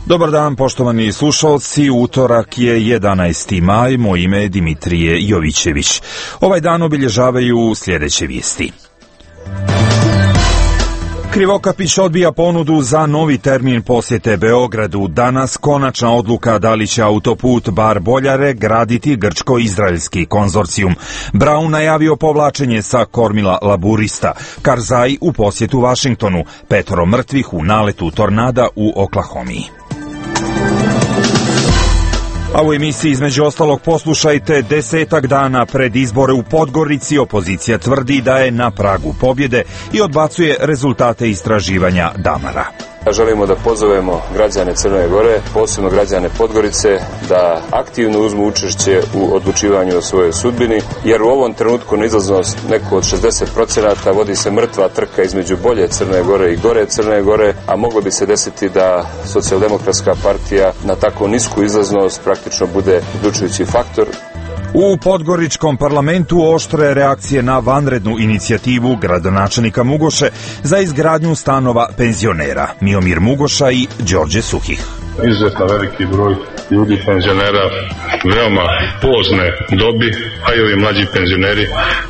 Dobar dan, poštovani slušalci. Utorak je 11. maj, moje ime je Dimitrije Jovićević. Ovaj dan obilježavaju sljedeće vijesti. Krivokapić odbija ponudu za novi termin posjete Beogradu. Danas konačna odluka da li će autoput Bar-Boljare graditi grčko-izraelski konzorcijum. Brown najavio povlačenje sa kormila laburista. Karzai u posjetu Vašingtonu. 5 mrtvih u naletu tornada u Oklahomi. A u emisiji između ostalog poslušajte: 10 dana pred izbore u Podgorici opozicija tvrdi da je na pragu pobjede i odbacuje rezultate istraživanja Damara. Želimo da pozovemo građane Crne Gore, posebno građane Podgorice, da aktivno uzmu učešće u odlučivanju o svojoj sudbini, jer u ovom trenutku na izlaznost neko od 60% vodi se mrtva trka između bolje Crne Gore i gore Crne Gore, a moglo bi se desiti da Socijaldemokratska partija na tako nisku izlaznost praktično bude odlučujući faktor. U Podgoričkom parlamentu oštre reakcije na vanrednu inicijativu gradonačelnika Mugoše za izgradnju stanova penzionera. Miomir Mugoša i Đorđe Suhih. Izuzetno veliki broj ljudi, penzionera, veoma pozne dobi, a i ovi mlađi penzioneri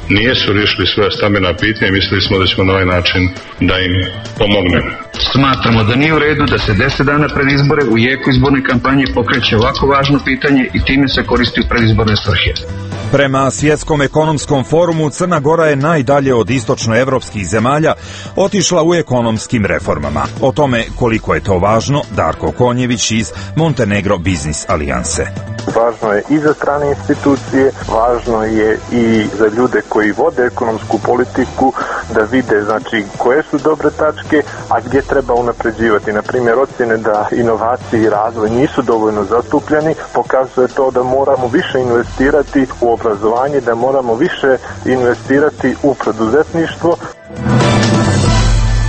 nisu riješili svoje stambena pitanja i mislili smo da ćemo na ovaj način da im pomognemo. Smatramo da nije u redu da se 10 dana pred izbore u jeku izborne kampanje pokreće ovako važno pitanje i time se koristi u predizborne svrhe. Prema Svjetskom ekonomskom forumu, Crna Gora je najdalje od istočnoevropskih zemalja otišla u ekonomskim reformama. O tome koliko je to važno, Darko Konjević iz Montenegro Biznis alijanse. Važno je i za strane institucije, važno je i za ljude koji vode ekonomsku politiku da vide koje su dobre tačke, a gdje treba unapređivati. Na primjer, ocjene da inovacije i razvoj nisu dovoljno zastupljeni, pokazuje to da moramo više investirati u obrazovanje, da moramo više investirati u preduzetništvo.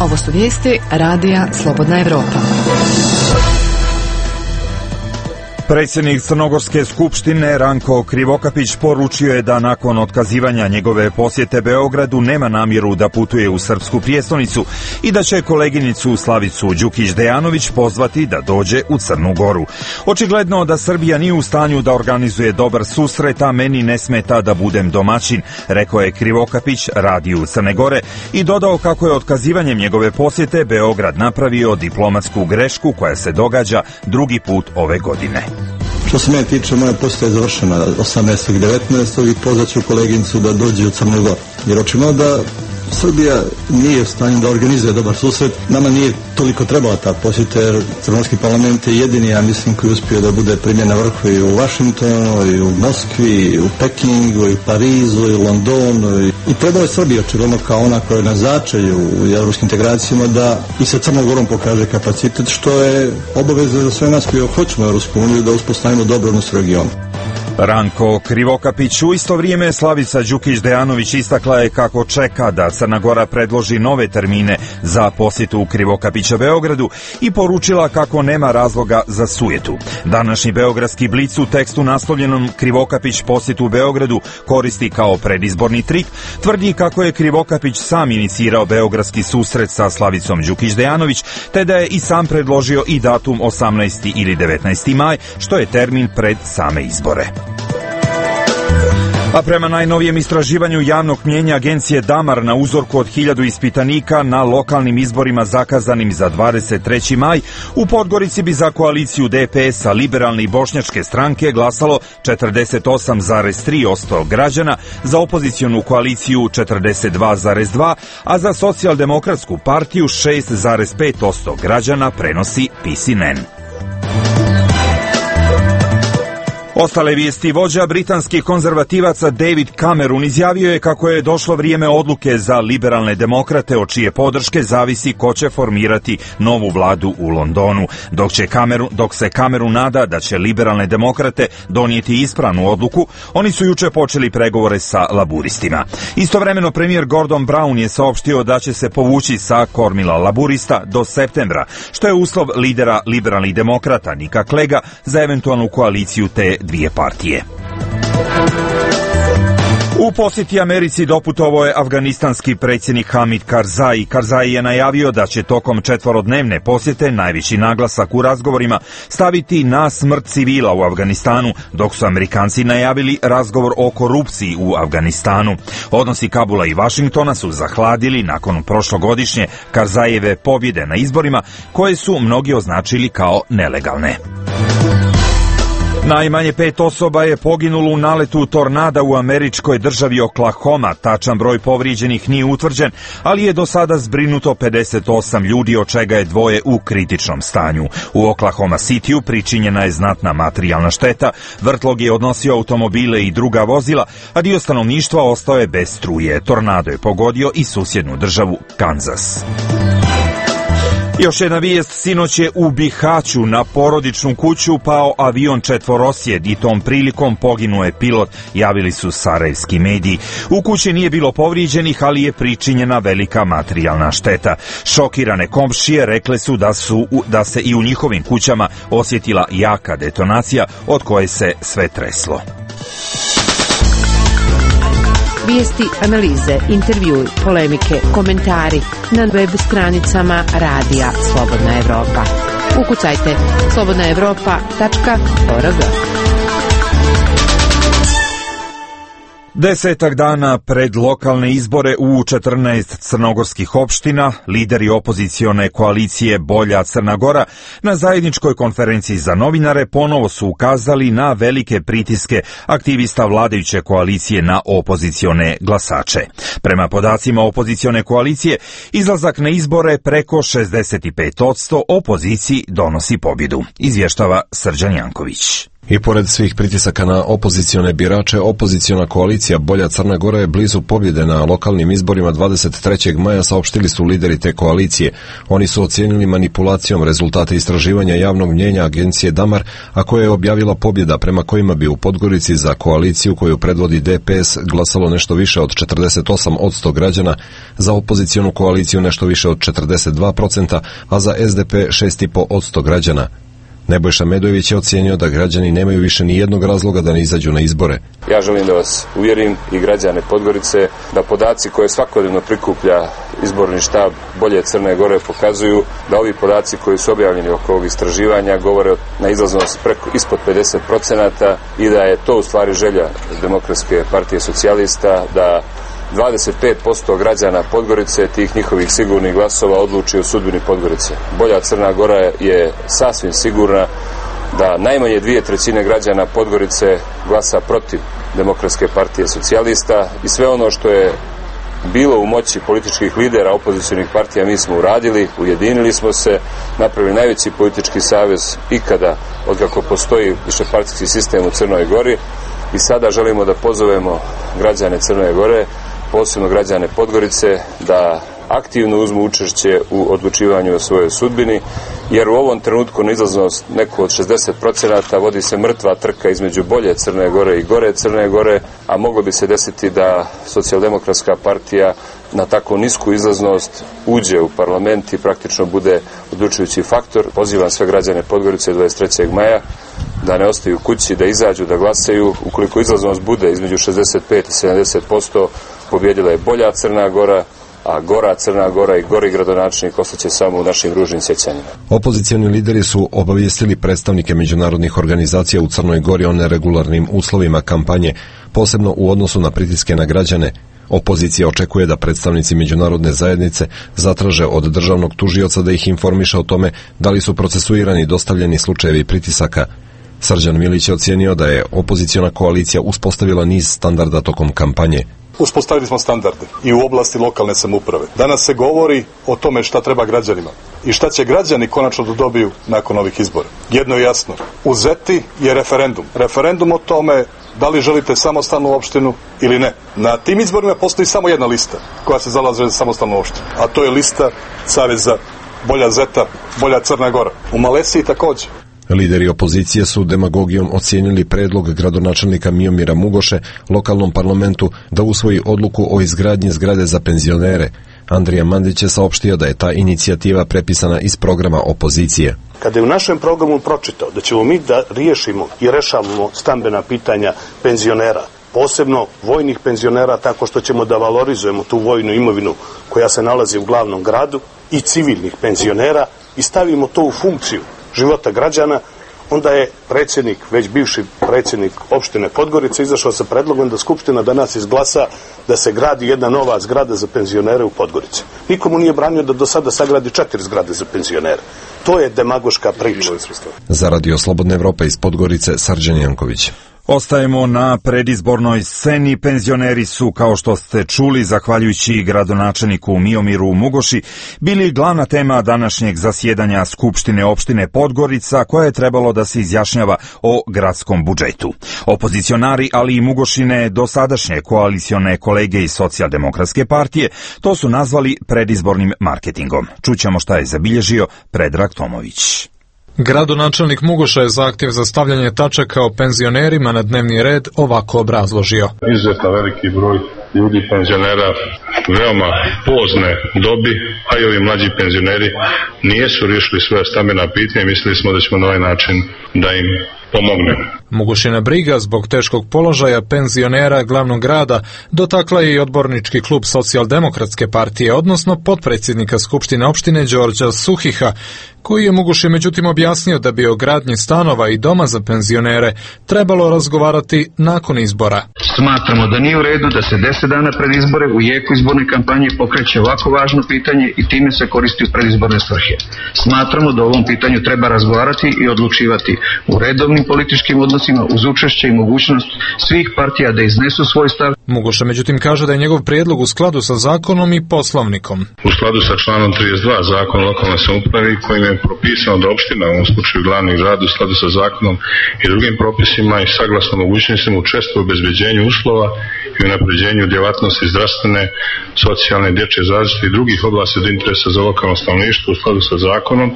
Ovo su vijesti Radija Slobodna Evropa. Predsjednik Crnogorske skupštine Ranko Krivokapić poručio je da nakon otkazivanja njegove posjete Beogradu nema namjeru da putuje u srpsku prijestolnicu i da će koleginicu Slavicu Đukić-Dejanović pozvati da dođe u Crnu Goru. Očigledno da Srbija nije u stanju da organizuje dobar susret, a meni ne smeta da budem domaćin, rekao je Krivokapić Radiju Crne Gore i dodao kako je otkazivanjem njegove posjete Beograd napravio diplomatsku grešku koja se događa drugi put ove godine. Što se mene tiče, moja posjeta je završena 18. i 19. i pozvaću koleginicu da dođe u Crnu Goru. Jer očigledno da Srbija nije u stanju da organizuje dobar susret. Nama nije toliko trebala ta posjeta, jer Crnogorski parlament je jedini, ja mislim, koji je uspio da bude primljen na vrhu i u Vašingtonu, i u Moskvi, i u Pekingu, i u Parizu, i u Londonu. I trebalo je Srbija, očigledno kao ona koja je na začelju u evropskim integracijama, da i sa Crnom Gorom pokaže kapacitet, što je obaveza za sve nas koji hoćemo Evropsku uniju da uspostavimo dobro odnos u regionu. Ranko Krivokapić. U isto vrijeme Slavica Đukić-Dejanović istakla je kako čeka da Crna Gora predloži nove termine za posjetu Krivokapića Beogradu i poručila kako nema razloga za sujetu. Današnji beogradski blic u tekstu naslovljenom Krivokapić posjetu Beogradu koristi kao predizborni trik, tvrdi kako je Krivokapić sam inicirao beogradski susret sa Slavicom Đukić-Dejanović, te da je i sam predložio i datum 18. ili 19. maj, što je termin pred same izbore. A prema najnovijem istraživanju javnog mnijenja agencije Damar na uzorku od 1000 ispitanika na lokalnim izborima zakazanim za 23. maj, u Podgorici bi za koaliciju DPS-a, liberalne i bošnjačke stranke glasalo 48,3% građana, za opozicionu koaliciju 42,2%, a za socijaldemokratsku partiju 6,5% građana, prenosi PCNN. Ostale vijesti: vođa britanskih konzervativaca David Cameron izjavio je kako je došlo vrijeme odluke za liberalne demokrate, od čije podrške zavisi ko će formirati novu vladu u Londonu. Dok se Cameron nada da će liberalne demokrate donijeti ispravnu odluku, oni su juče počeli pregovore sa laburistima. Istovremeno premijer Gordon Brown je saopštio da će se povući sa kormila laburista do septembra, što je uslov lidera liberalnih demokrata Nika Clegga za eventualnu koaliciju te dvije partije. U posjeti Americi doputovao je afganistanski predsjednik Hamid Karzai. Karzai je najavio da će tokom 4-dnevne posjete najviši naglasak u razgovorima staviti na smrt civila u Afganistanu, dok su Amerikanci najavili razgovor o korupciji u Afganistanu. Odnosi Kabula i Vašingtona su zahladili nakon prošlogodišnje Karzajeve pobjede na izborima, koje su mnogi označili kao nelegalne. Najmanje 5 osoba je poginulo u naletu tornada u američkoj državi Oklahoma. Tačan broj povrijeđenih nije utvrđen, ali je do sada zbrinuto 58 ljudi, od čega je 2 u kritičnom stanju. U Oklahoma Cityu pričinjena je znatna materijalna šteta, vrtlog je odnosio automobile i druga vozila, a dio stanovništva ostao je bez struje. Tornado je pogodio i susjednu državu Kansas. Još jedna vijest, sinoć je u Bihaću na porodičnu kuću pao avion četvorosjed i tom prilikom poginuo je pilot, javili su sarajevski mediji. U kući nije bilo povrijeđenih, ali je pričinjena velika materijalna šteta. Šokirane komšije rekle su da se i u njihovim kućama osjetila jaka detonacija od koje se sve treslo. Vijesti, analize, intervjui, polemike, komentari na web stranicama Radija Slobodna Evropa. Ukucajte slobodnaevropa.org. 10 dana pred lokalne izbore u 14 crnogorskih opština, lideri opozicione koalicije Bolja Crna Gora na zajedničkoj konferenciji za novinare ponovo su ukazali na velike pritiske aktivista vladajuće koalicije na opozicione glasače. Prema podacima opozicione koalicije, izlazak na izbore preko 65% opoziciji donosi pobjedu, izvještava Srđan Janković. I pored svih pritisaka na opozicione birače, opoziciona koalicija Bolja Crna Gora je blizu pobjede na lokalnim izborima 23. maja, saopštili su lideri te koalicije. Oni su ocijenili manipulacijom rezultate istraživanja javnog mnjenja agencije Damar, a koja je objavila pobjeda prema kojima bi u Podgorici za koaliciju koju predvodi DPS glasalo nešto više od 48% građana, za opozicionu koaliciju nešto više od 42%, a za SDP 6,5% građana. Nebojša Medojević je ocijenio da građani nemaju više ni jednog razloga da ne izađu na izbore. Ja želim da vas uvjerim i građane Podgorice da podaci koje svakodnevno prikuplja izborni štab Bolje Crne Gore pokazuju da ovi podaci koji su objavljeni oko ovog istraživanja govore na izlaznost ispod 50% i da je to u stvari želja Demokratske partije socijalista da 25% građana Podgorice, tih njihovih sigurnih glasova, odluči o sudbini Podgorice. Bolja Crna Gora je sasvim sigurna da najmanje 2/3 građana Podgorice glasa protiv Demokratske partije socijalista i sve ono što je bilo u moći političkih lidera opozicionih partija mi smo uradili, ujedinili smo se, napravili najveći politički savez ikada od kako postoji višepartijski sistem u Crnoj Gori i sada želimo da pozovemo građane Crne Gore, posebno građane Podgorice, da aktivno uzmu učešće u odlučivanju o svojoj sudbini, jer u ovom trenutku na izlaznost neko od 60% vodi se mrtva trka između Bolje Crne Gore i Gore Crne Gore, a moglo bi se desiti da Socijaldemokratska partija na tako nisku izlaznost uđe u parlament i praktično bude odlučujući faktor. Pozivam sve građane Podgorice 23. maja da ne ostaju kući, da izađu, da glasaju. Ukoliko izlaznost bude između 65 i 70%, pobjedila je Bolja Crna Gora, a Gora Crna Gora i gori gradonačelnik ostaće samo u našim ružnim sjećanjima. Opozicioni lideri su obavijestili predstavnike međunarodnih organizacija u Crnoj Gori o neregularnim uslovima kampanje, posebno u odnosu na pritiske na građane. Opozicija očekuje da predstavnici međunarodne zajednice zatraže od državnog tužioca da ih informiše o tome da li su procesuirani dostavljeni slučajevi pritisaka. Srđan Milić je ocijenio da je opoziciona koalicija uspostavila niz standarda tokom kampanje. Uspostavili smo standarde i u oblasti lokalne samouprave. Danas se govori o tome šta treba građanima i šta će građani konačno da dobiju nakon ovih izbora. Jedno je jasno, u Zeti je referendum. Referendum o tome da li želite samostalnu opštinu ili ne. Na tim izborima postoji samo jedna lista koja se zalaže za samostalnu opštinu, a to je lista Saveza Bolja Zeta, Bolja Crna Gora. U Malesiji također. Lideri opozicije su demagogijom ocijenili predlog gradonačelnika Miomira Mugoše lokalnom parlamentu da usvoji odluku o izgradnji zgrade za penzionere. Andrija Mandić je saopštio da je ta inicijativa prepisana iz programa opozicije. Kada je u našem programu pročitao da ćemo mi da riješimo i rešavamo stambena pitanja penzionera, posebno vojnih penzionera, tako što ćemo da valorizujemo tu vojnu imovinu koja se nalazi u glavnom gradu, i civilnih penzionera, i stavimo to u funkciju života građana, onda je predsjednik, već bivši predsjednik opštine Podgorice, izašao sa predlogom da Skupština danas izglasa da se gradi jedna nova zgrada za penzionere u Podgorici. Nikomu nije branio da do sada sagradi 4 zgrade za penzionere. To je demagoška priča. Za Radio Slobodna Evropa iz Podgorice, Srđan Janković. Ostajemo na predizbornoj sceni. Penzioneri su, kao što ste čuli, zahvaljujući gradonačelniku Miomiru Mugoši, bili glavna tema današnjeg zasjedanja Skupštine opštine Podgorica, koja je trebalo da se izjašnjava o gradskom budžetu. Opozicionari, ali i Mugošine dosadašnje koalicione kolege iz Socijaldemokratske partije, to su nazvali predizbornim marketingom. Čućemo šta je zabilježio Predrag Tomović. Gradonačelnik Mugoša je zahtjev za stavljanje tačaka o penzionerima na dnevni red ovako obrazložio. Izuzetno veliki broj ljudi penzionera veoma pozne dobi, a i ovi mlađi penzioneri nijesu riješili svoje stambena pitanja i mislili smo da ćemo na ovaj način da im pomognemo. Mugošina briga zbog teškog položaja penzionera glavnog grada dotakla je i odbornički klub Socijaldemokratske partije, odnosno potpredsjednika Skupštine opštine Đorđa Suhiha, koji je Mugoši međutim objasnio da bi o gradnji stanova i doma za penzionere trebalo razgovarati nakon izbora. Smatramo da nije u redu da se 10 dana pred izbore u jeku izborne kampanje pokreće ovako važno pitanje i time se koristi u predizborne svrhe. Smatramo da o ovom pitanju treba razgovarati i odlučivati u redovnim političkim odnosima uz učešće i mogućnost svih partija da iznesu svoj stav. Mugoša međutim kaže da je njegov prijedlog u skladu sa zakonom i poslovnikom. U skladu sa članom 32 Zakona o lokalnoj samoupravi, kojim je propisano da opština, u ovom slučaju glavni grad, u skladu sa zakonom i drugim propisima i saglasno mogućnostima učestvuje u obezbeđenju uslova i unapređenju djelatnosti zdravstvene, socijalne, dječje zaštite i drugih oblasti od interesa za lokalno stanovništvo u skladu sa zakonom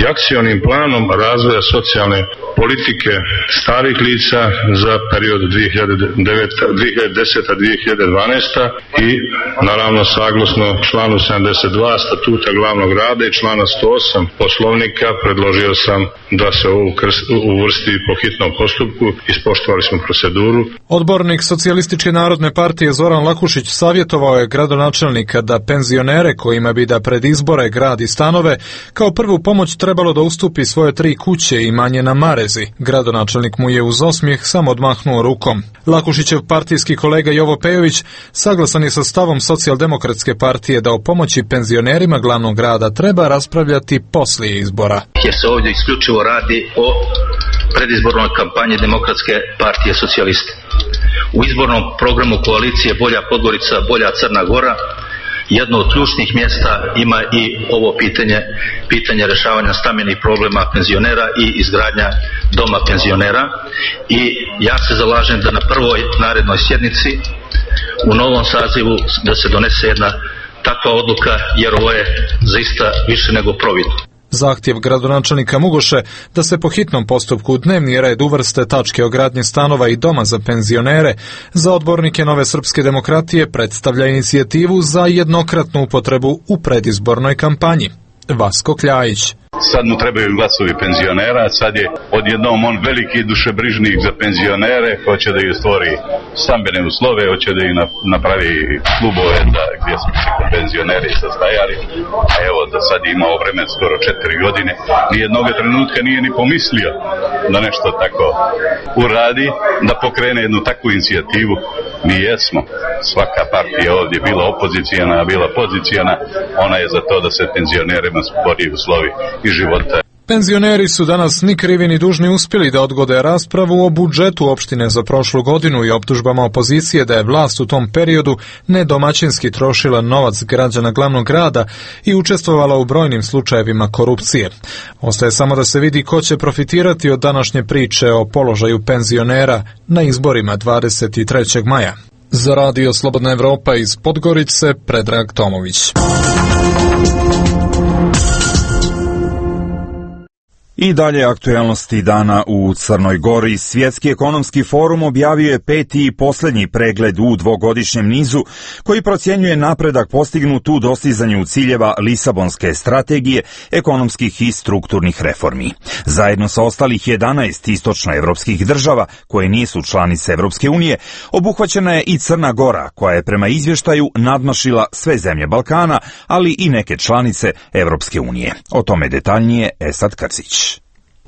i akcionim planom razvoja socijalne politike starih lica za period 2010-2012 i naravno saglasno članu 72 statuta glavnog grada i člana 108 poslovnika predložio sam da se ovo uvrsti po hitnom postupku. Ispoštovali smo proceduru. Odbornik Socijalističke narodne partije Zoran Lakušić savjetovao je gradonačelnika da penzionere kojima bi da pred izbore gradi stanove kao prvu pomoć trebalo da ustupi svoje 3 kuće i manje na Marezi. Gradonačelnik mu je uz osmijeh samo odmahnuo rukom. Lakušićev partijski kolega Jovo Pejović saglasan je sa stavom Socijaldemokratske partije da o pomoći penzionerima glavnog grada treba raspravljati poslije izbora. Jer se ovdje isključivo radi o predizbornoj kampanji Demokratske partije socijaliste. U izbornom programu koalicije Bolja Podgorica, Bolja Crna Gora jedno od ključnih mjesta ima i ovo pitanje rješavanja stambenih problema penzionera i izgradnja doma penzionera. I ja se zalažem da na prvoj narednoj sjednici u novom sazivu da se donese jedna takva odluka, jer ovo je zaista više nego providno. Zahtjev gradonačelnika Mugoše da se po hitnom postupku u dnevni red uvrste tačke o gradnji stanova i doma za penzionere za odbornike Nove srpske demokratije predstavlja inicijativu za jednokratnu upotrebu u predizbornoj kampanji. Vasko Kljajić. Sad mu trebaju glasovi penzionera, sad je odjednom on veliki dušebrižnik za penzionere, hoće da ih stvori stambene uslove, hoće da ih napravi klubove gdje smo se penzioneri sastajali, a evo da sad imao vremen skoro 4 godine, nijednog trenutka nije ni pomislio da nešto tako uradi, da pokrene jednu takvu inicijativu. Mi jesmo, svaka partija ovdje bila opozicijana, bila pozicijana, ona je za to da se penzionerima stvori uslovi i života. Penzioneri su danas ni krivi ni dužni uspjeli da odgode raspravu o budžetu opštine za prošlu godinu i optužbama opozicije da je vlast u tom periodu nedomaćinski trošila novac građana glavnog grada i učestvovala u brojnim slučajevima korupcije. Ostaje samo da se vidi ko će profitirati od današnje priče o položaju penzionera na izborima 23. maja. Za Radio Slobodna Evropa iz Podgorice, Predrag Tomović. I dalje aktuelnosti dana u Crnoj Gori. Svjetski ekonomski forum objavio je 5. i posljednji pregled u dvogodišnjem nizu koji procjenjuje napredak postignut u dostizanju ciljeva Lisabonske strategije, ekonomskih i strukturnih reformi. Zajedno sa ostalih 11 istočnoevropskih država koje nisu članice Evropske unije, obuhvaćena je i Crna Gora, koja je prema izvještaju nadmašila sve zemlje Balkana, ali i neke članice Evropske unije. O tome detaljnije Esad Krcić.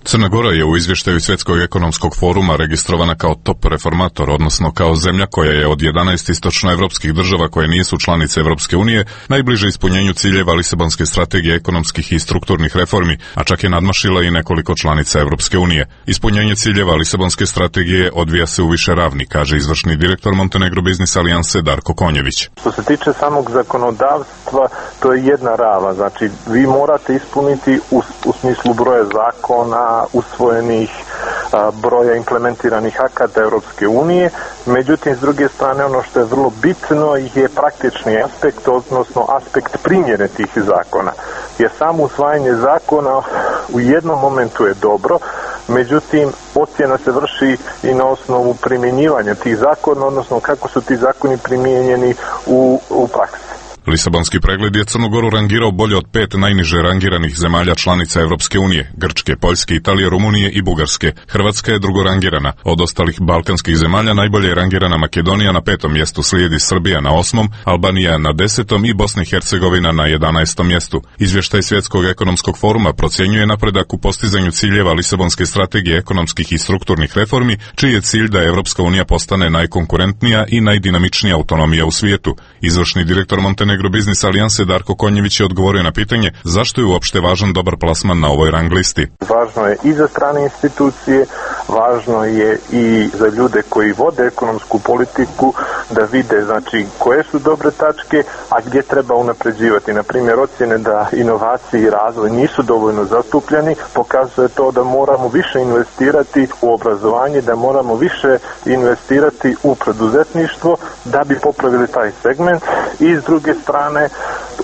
Crna Gora je u izvještaju Svjetskog ekonomskog foruma registrovana kao top reformator, odnosno kao zemlja koja je od 11 istočnoevropskih država koje nisu članice Evropske unije najbliže ispunjenju ciljeva Lisabonske strategije ekonomskih i strukturnih reformi, a čak je nadmašila i nekoliko članica Evropske unije. Ispunjenje ciljeva Lisabonske strategije odvija se u više ravni, kaže izvršni direktor Montenegro Biznis Alijanse Darko Konjević. Što se tiče samog zakonodavstva, to je jedna rava, znači vi morate ispuniti u smislu broja zakona, usvojenih, broja implementiranih akata Europske unije. Međutim, s druge strane, ono što je vrlo bitno je praktični aspekt, odnosno aspekt primjene tih zakona. Jer samo usvajanje zakona u jednom momentu je dobro, međutim, ocjena se vrši i na osnovu primjenjivanja tih zakona, odnosno kako su ti zakoni primijenjeni u praksi. Lisabonski pregled je Crnu Goru rangirao bolje od 5 najniže rangiranih zemalja članica Evropske unije, Grčke, Poljske, Italije, Rumunije i Bugarske. Hrvatska je drugorangirana. Od ostalih balkanskih zemalja najbolje je rangirana Makedonija na 5. mjestu, slijedi Srbija na 8., Albanija na 10. i Bosna i Hercegovina na 11. mjestu. Izvještaj Svjetskog ekonomskog foruma procjenjuje napredak u postizanju ciljeva Lisabonske strategije ekonomskih i strukturnih reformi, čiji je cilj da Evropska unija postane najkonkurentnija i najdinamičnija autonomija u svijetu. Izvršni direktor Montenegro Biznis Alijanse Darko Konjević je odgovorio na pitanje zašto je uopšte važan dobar plasman na ovoj rang listi. Važno je i za strane institucije, važno je i za ljude koji vode ekonomsku politiku da vide znači koje su dobre tačke, a gdje treba unapređivati. Na primjer, ocjene da inovacije i razvoj nisu dovoljno zastupljeni, pokazuje to da moramo više investirati u obrazovanje, da moramo više investirati u preduzetništvo da bi popravili taj segment. I s druge strane,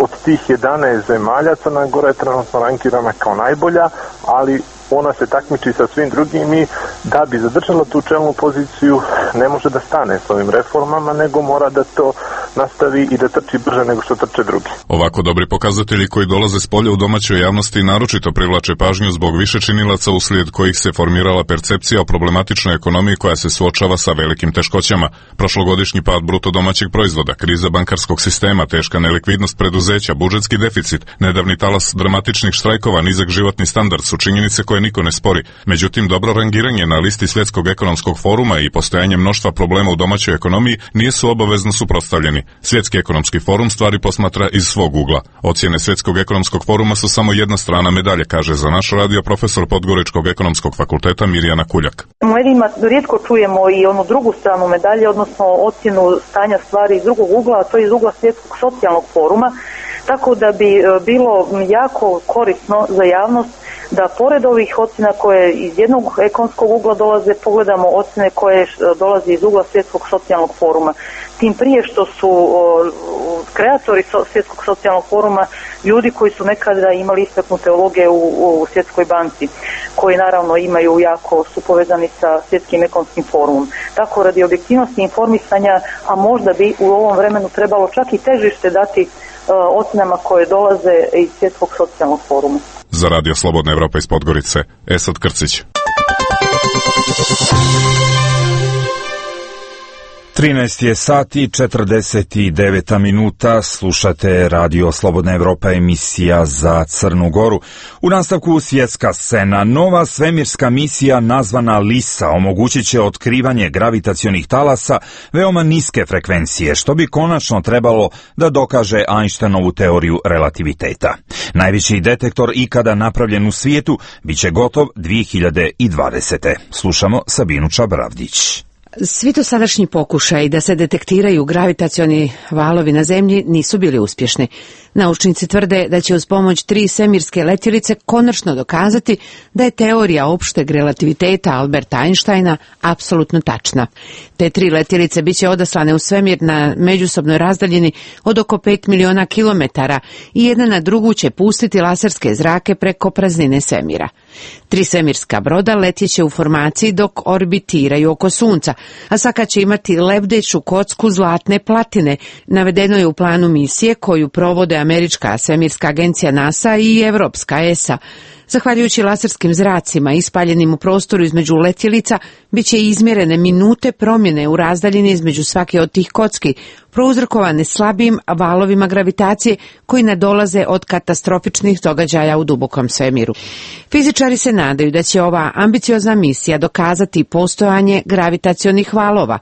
od tih 11 zemalja Crna Gora je trenutno rankirana kao najbolja, ali ona se takmiči sa svim drugim i da bi zadržala tu čelnu poziciju ne može da stane s ovim reformama, nego mora da to nastavi i da trči brže nego što trče drugi. Ovako dobri pokazatelji koji dolaze s polja u domaćoj javnosti naročito privlače pažnju zbog više činilaca uslijed kojih se formirala percepcija o problematičnoj ekonomiji koja se suočava sa velikim teškoćama. Prošlogodišnji pad bruto domaćeg proizvoda, kriza bankarskog sistema, teška nelikvidnost preduzeća, budžetski deficit, nedavni talas dramatičnih štrajkova, nizak životni standard su činjenice koje niko ne spori. Međutim, dobro rangiranje na listi Svjetskog ekonomskog foruma i postojanje mnoštva problema u domaćoj ekonomiji nisu obavezno suprotstavljeni. Svjetski ekonomski forum stvari posmatra iz svog ugla. Ocjene Svjetskog ekonomskog foruma su samo jedna strana medalje, kaže za naš radio profesor Podgoričkog ekonomskog fakulteta Mirjana Kuljak. U medijima rijetko čujemo i onu drugu stranu medalje, odnosno ocjenu stanja stvari iz drugog ugla, a to je iz ugla Svjetskog socijalnog foruma, tako da bi bilo jako korisno za javnost da pored ovih ocjena koje iz jednog ekonomskog ugla dolaze, pogledamo ocjene koje dolaze iz ugla Svjetskog socijalnog foruma. Tim prije što su kreatori Svjetskog socijalnog foruma ljudi koji su nekada imali istaknute uloge u Svjetskoj banci, koji naravno imaju jako su povezani sa Svjetskim ekonomskim forumom. Tako radi objektivnosti informisanja, a možda bi u ovom vremenu trebalo čak i težište dati ocjenama koje dolaze iz Svjetskog socijalnog foruma. Za Radio Slobodna Evropa iz Podgorice, Esad Krcić. 13 je sati 49 minuta, slušate Radio Slobodna Evropa, emisija za Crnu Goru. U nastavku svjetska scena, nova svemirska misija nazvana LISA omogućit će otkrivanje gravitacionih talasa veoma niske frekvencije, što bi konačno trebalo da dokaže Einsteinovu teoriju relativiteta. Najveći detektor ikada napravljen u svijetu biće gotov 2020. Slušamo Sabinu Čabravdić. Svi dosadašnji pokušaji da se detektiraju gravitacioni valovi na zemlji nisu bili uspješni. Naučnici tvrde da će uz pomoć 3 svemirske letjelice konačno dokazati da je teorija opšteg relativiteta Alberta Einsteina apsolutno tačna. Te 3 letjelice biće odaslane u svemir na međusobnoj razdaljini od oko 5 miliona kilometara i jedna na drugu će pustiti laserske zrake preko praznine svemira. 3 svemirska broda letjeće u formaciji dok orbitiraju oko Sunca, a svaka će imati lebdeću kocku zlatne platine, navedeno je u planu misije koju provode američka svemirska agencija NASA i evropska ESA. Zahvaljujući laserskim zracima ispaljenim u prostoru između letjelica, bit će izmjerene minute promjene u razdaljini između svake od tih kocki, prouzrokovane slabim valovima gravitacije koji nadolaze od katastrofičnih događaja u dubokom svemiru. Fizičari se nadaju da će ova ambiciozna misija dokazati postojanje gravitacionih valova,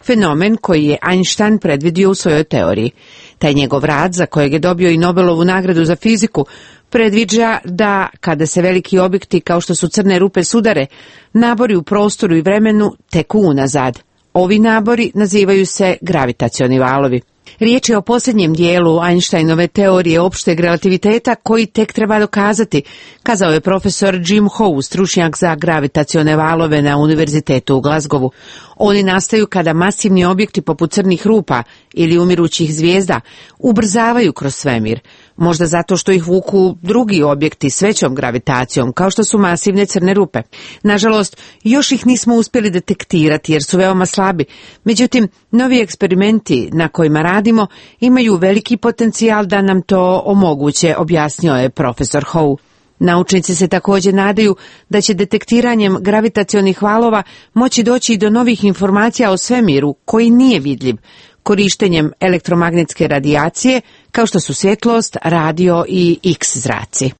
fenomen koji je Einstein predvidio u svojoj teoriji. Taj njegov rad, za kojeg je dobio i Nobelovu nagradu za fiziku, predviđa da kada se veliki objekti kao što su crne rupe sudare, nabori u prostoru i vremenu teku unazad. Ovi nabori nazivaju se gravitacioni valovi. Riječ je o posljednjem dijelu Einsteinove teorije opšteg relativiteta koji tek treba dokazati, kazao je profesor Jim Howe, stručnjak za gravitacione valove na Univerzitetu u Glasgowu. Oni nastaju kada masivni objekti poput crnih rupa ili umirućih zvijezda ubrzavaju kroz svemir, možda zato što ih vuku drugi objekti s većom gravitacijom, kao što su masivne crne rupe. Nažalost, još ih nismo uspjeli detektirati jer su veoma slabi. Međutim, novi eksperimenti na kojima radimo imaju veliki potencijal da nam to omoguće, objasnio je profesor Howe. Naučnici se također nadaju da će detektiranjem gravitacionih valova moći doći i do novih informacija o svemiru koji nije vidljiv, korištenjem elektromagnetske radijacije kao što su svjetlost, radio i X zraci.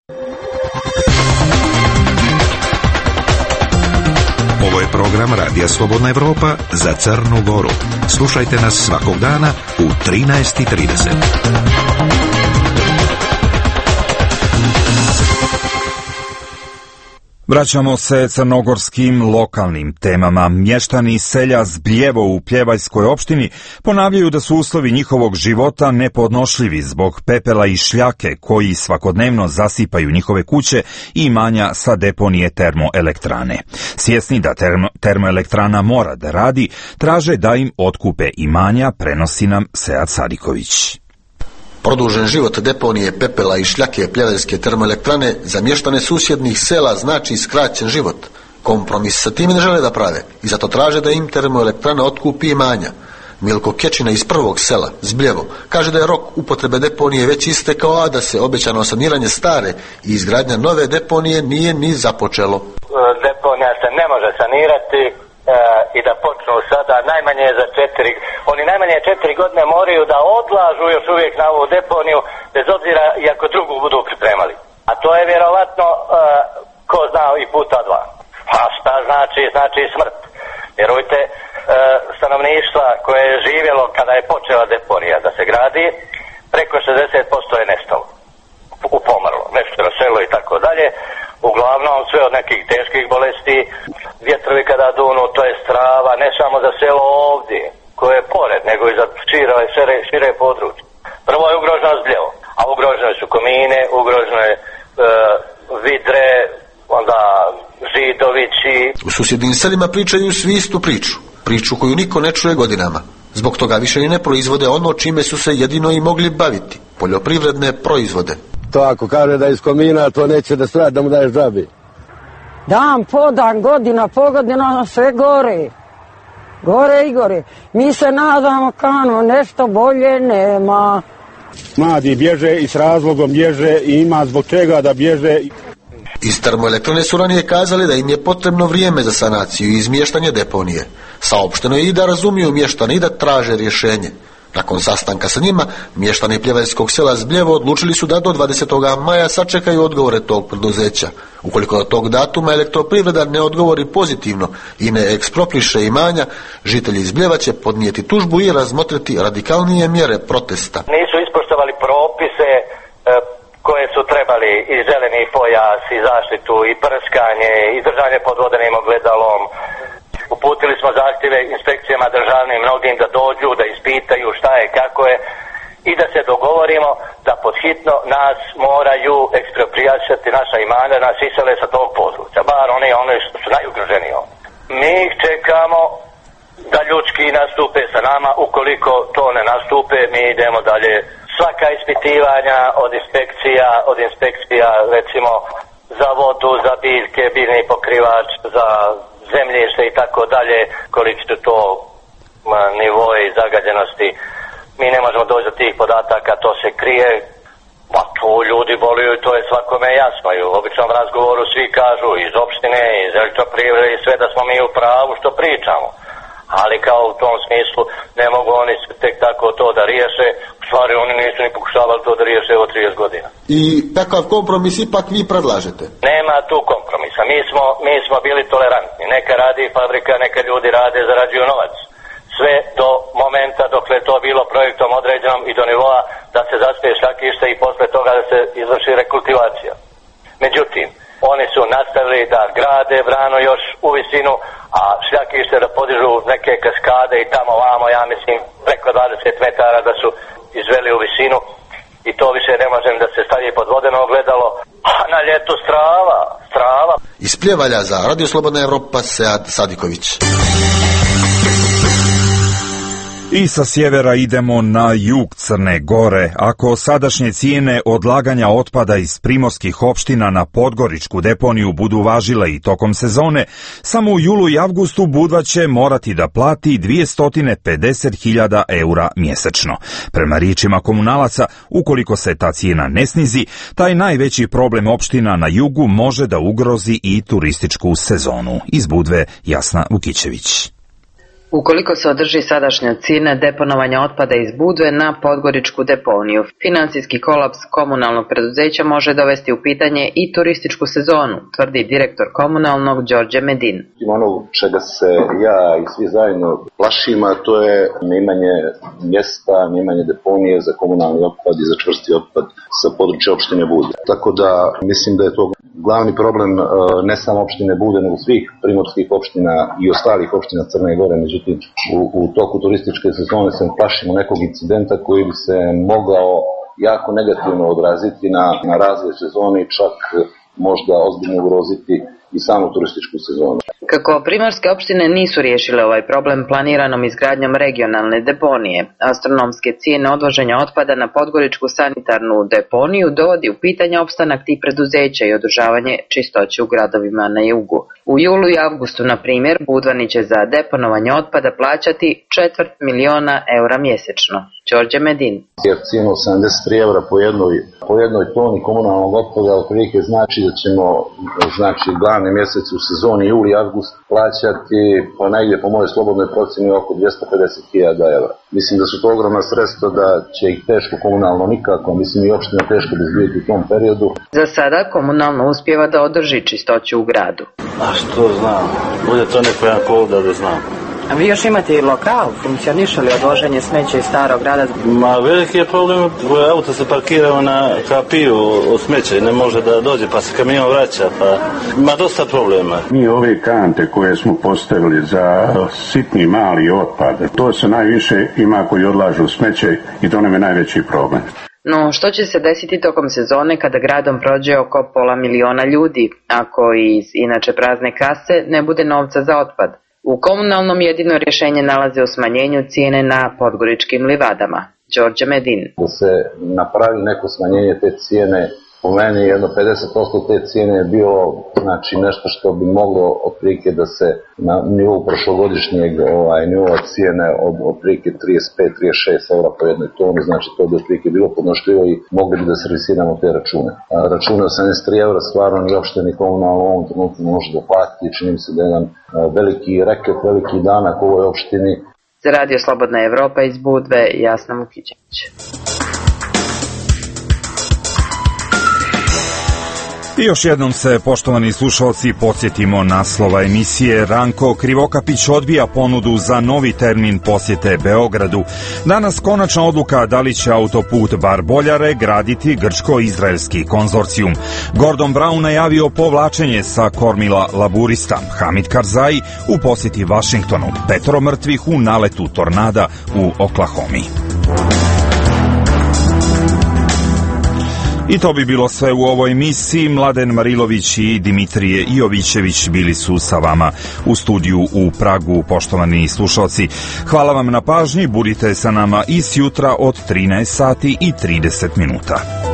Ovo je program Radija Slobodna Evropa za Crnu Goru. Slušajte nas svakog dana u 13:30. Vraćamo se crnogorskim lokalnim temama. Mještani selja Zbljevo u Pljevajskoj opštini ponavljaju da su uslovi njihovog života nepodnošljivi zbog pepela i šljake koji svakodnevno zasipaju njihove kuće i imanja sa deponije termoelektrane. Svjesni da termoelektrana mora da radi, traže da im otkupe imanja, prenosi nam Sead Sadiković. Produžen život deponije pepela i šljake Pljevajske termoelektrane za mještane susjednih sela znači skraćen život. Kompromis sa tim ne žele da prave i zato traže da im termoelektrana otkupi imanja. Milko Kečina iz prvog sela, Zbljevo, kaže da je rok upotrebe deponije već istekao, a da se obećano saniranje stare i izgradnja nove deponije nije ni započelo. Deponija se ne može sanirati i da počnu sada najmanje za 4. Oni najmanje 4 godine moraju da odlažu još uvijek na ovu deponiju, bez obzira i ako drugu budu pripremali. A to je vjerovatno ko zna i puta 2. A šta znači? Znači smrt. Vjerujte, stanovništva koje je živjelo kada je počela deponija da se gradi, preko 60% je nestalo. Upomrlo, nešto na selo i tako dalje. Uglavnom sve od nekih teških bolesti, vjetrovi kada dunu, to je strava, ne samo za selo ovdje, koje je pored, nego i za šire područje. Prvo je ugroženo Zbljevo, a ugrožene su komine, ugrožene vidre, onda Židovići. U susjednim selima pričaju svi istu priču koju niko ne čuje godinama. Zbog toga više i ne proizvode ono čime su se jedino i mogli baviti, poljoprivredne proizvode. To ako kaže da iz komina, to neće da strati, da mu daješ džabi. Dan po dan, godina po godina, sve gore. Gore i gore. Mi se nadamo kao nešto bolje nema. Mladi bježe i s razlogom bježe i ima zbog čega da bježe. Iz termoelektrane su ranije kazali da im je potrebno vrijeme za sanaciju i izmještanje deponije. Saopšteno je i da razumiju mještani i da traže rješenje. Nakon sastanka sa njima, mještani Pljevajskog sela Zbljevo odlučili su da do 20. maja sačekaju odgovore tog preduzeća. Ukoliko do tog datuma elektroprivreda ne odgovori pozitivno i ne ekspropriše imanja, žitelji Zbljeva će podnijeti tužbu i razmotriti radikalnije mjere protesta. Nisu ispoštovali propise koje su trebali i zeleni pojas, i zaštitu, i prskanje, i držanje pod vodenim ogledalom. Uputili smo zahtjeve inspekcijama državnim mnogim da dođu, da ispitaju šta je, kako je i da se dogovorimo da podhitno nas moraju eksproprijacati naša imanja, nas isele sa tog područja, bar oni što su najugroženiji. Mi ih čekamo da ljudski nastupe sa nama. Ukoliko to ne nastupe, mi idemo dalje. Svaka ispitivanja od inspekcija recimo za vodu, za biljke, biljni pokrivač, za zemljište i tako dalje, koliki su to nivoi zagađenosti. Mi ne možemo doći do tih podataka, to se krije. Pa to ljudi boluju i to je svakome jasno. I u običnom razgovoru svi kažu iz opštine, iz elektroprivrede i sve da smo mi u pravu što pričamo. Ali kao u tom smislu ne mogu oni tek tako to da riješe. U stvari oni nisu ni pokušavali to da riješe evo 30 godina. I takav kompromis ipak vi predlažete? Nema tu kompromisa. Mi smo bili tolerantni. Neka radi fabrika, neka ljudi rade, zarađuju novac. Sve do momenta dok je to bilo projektom određenom i do nivoa da se zaspeje šljakište i posle toga da se izvrši rekultivacija. Međutim, oni su nastavili da grade branu još u visinu, a šljakište da podižu neke kaskade i tamo vamo, ja mislim, preko 20 metara da su izveli u visinu i to više ne možem da se stavi pod vodeno ogledalo, a na ljetu strava. Iz Pljevalja za Radio Slobodna Evropa, Sead Sadiković. I sa sjevera idemo na jug Crne Gore. Ako sadašnje cijene odlaganja otpada iz primorskih opština na Podgoričku deponiju budu važile i tokom sezone, samo u julu i avgustu Budva će morati da plati 250.000 eura mjesečno. Prema riječima komunalaca, ukoliko se ta cijena ne snizi, taj najveći problem opština na jugu može da ugrozi i turističku sezonu. Iz Budve, Jasna Vukićević. Ukoliko se održi sadašnja cijena deponovanja otpada iz Budve na Podgoričku deponiju, financijski kolaps komunalnog preduzeća može dovesti u pitanje i turističku sezonu, tvrdi direktor komunalnog Đorđe Medin. Ono čega se ja i svi zajedno plašimo, to je neimanje mjesta, neimanje deponije za komunalni otpad i za čvrsti otpad sa područja opštine Budve. Tako da mislim da je to glavni problem ne samo opštine Budve, nego svih primorskih opština i ostalih opština Crne Gore. Međutim, u toku turističke sezone se plašimo nekog incidenta koji bi se mogao jako negativno odraziti na razvoj sezone i čak možda ozbiljno ugroziti i samu turističku sezonu. Kako primorske opštine nisu riješile ovaj problem planiranom izgradnjom regionalne deponije, astronomske cijene odvoženja otpada na Podgoričku sanitarnu deponiju dovodi u pitanje opstanak tih preduzeća i održavanje čistoće u gradovima na jugu. U julu i avgustu, na primjer, Budvani će za deponovanje otpada plaćati 250.000 eura mjesečno. Đorđe Medin. Jer cijenu 73 eura po jednoj toni komunalnog otpada otprilike znači da ćemo glavni mjesec u sezoni juli i avgust plaćati po mojoj slobodnoj procjeni oko 250.000 eura. Mislim da su to ogromna sredstva, da će ih teško komunalno nikako, mislim i opština teško bezbijeti u tom periodu. Za sada komunalno uspijeva da održi čistoću u gradu. A što znam, bude to neko jedan povod da znam. A vi još imate i lokal, funkcioniše li odvoženje smeća iz starog grada? Ma veliki je problem, auto se parkirao na kapiju od smeća i ne može da dođe, pa se kamion vraća, pa ima dosta problema. Mi ove kante koje smo postavili za sitni mali otpad, to se najviše ima koji odlažu smeće i to nam je najveći problem. No, što će se desiti tokom sezone kada gradom prođe oko 500.000 ljudi, ako iz inače prazne kase ne bude novca za otpad? U komunalnom jedino rješenje nalaze u smanjenju cijene na podgoričkim livadama. Đorđe Medin. Da se napravi neko smanjenje te cijene, po meni jedno 50% te cijene je bilo nešto što bi moglo otprilike da se na nivou prošlogodišnjeg nivou cijene od otprilike 35-36 eura po jednoj toni, znači to bi otprilike bilo podnošljivo i mogli bi da servisiramo te račune. Račune od 73 eura stvarno ni opšte ni komunalno u ovom trenutku može da plati, čini mi se da je jedan veliki reket, veliki danak u ovoj opštini. Za Radio Slobodna Evropa iz Budve, Jasna Vukićević. I još jednom se, poštovani slušalci, podsjetimo naslova emisije. Ranko Krivokapić odbija ponudu za novi termin posjete Beogradu. Danas konačna odluka da li će autoput Bar-Boljare graditi grčko-izraelski konzorcijum. Gordon Brown najavio povlačenje sa kormila laburista. Hamid Karzai u posjeti Vašingtonu. 5 mrtvih u naletu tornada u Oklahomi. I to bi bilo sve u ovoj emisiji. Mladen Marilović i Dimitrije Jovićević bili su sa vama u studiju u Pragu, poštovani slušalci. Hvala vam na pažnji, budite sa nama i sjutra od 13 sati i 30 minuta.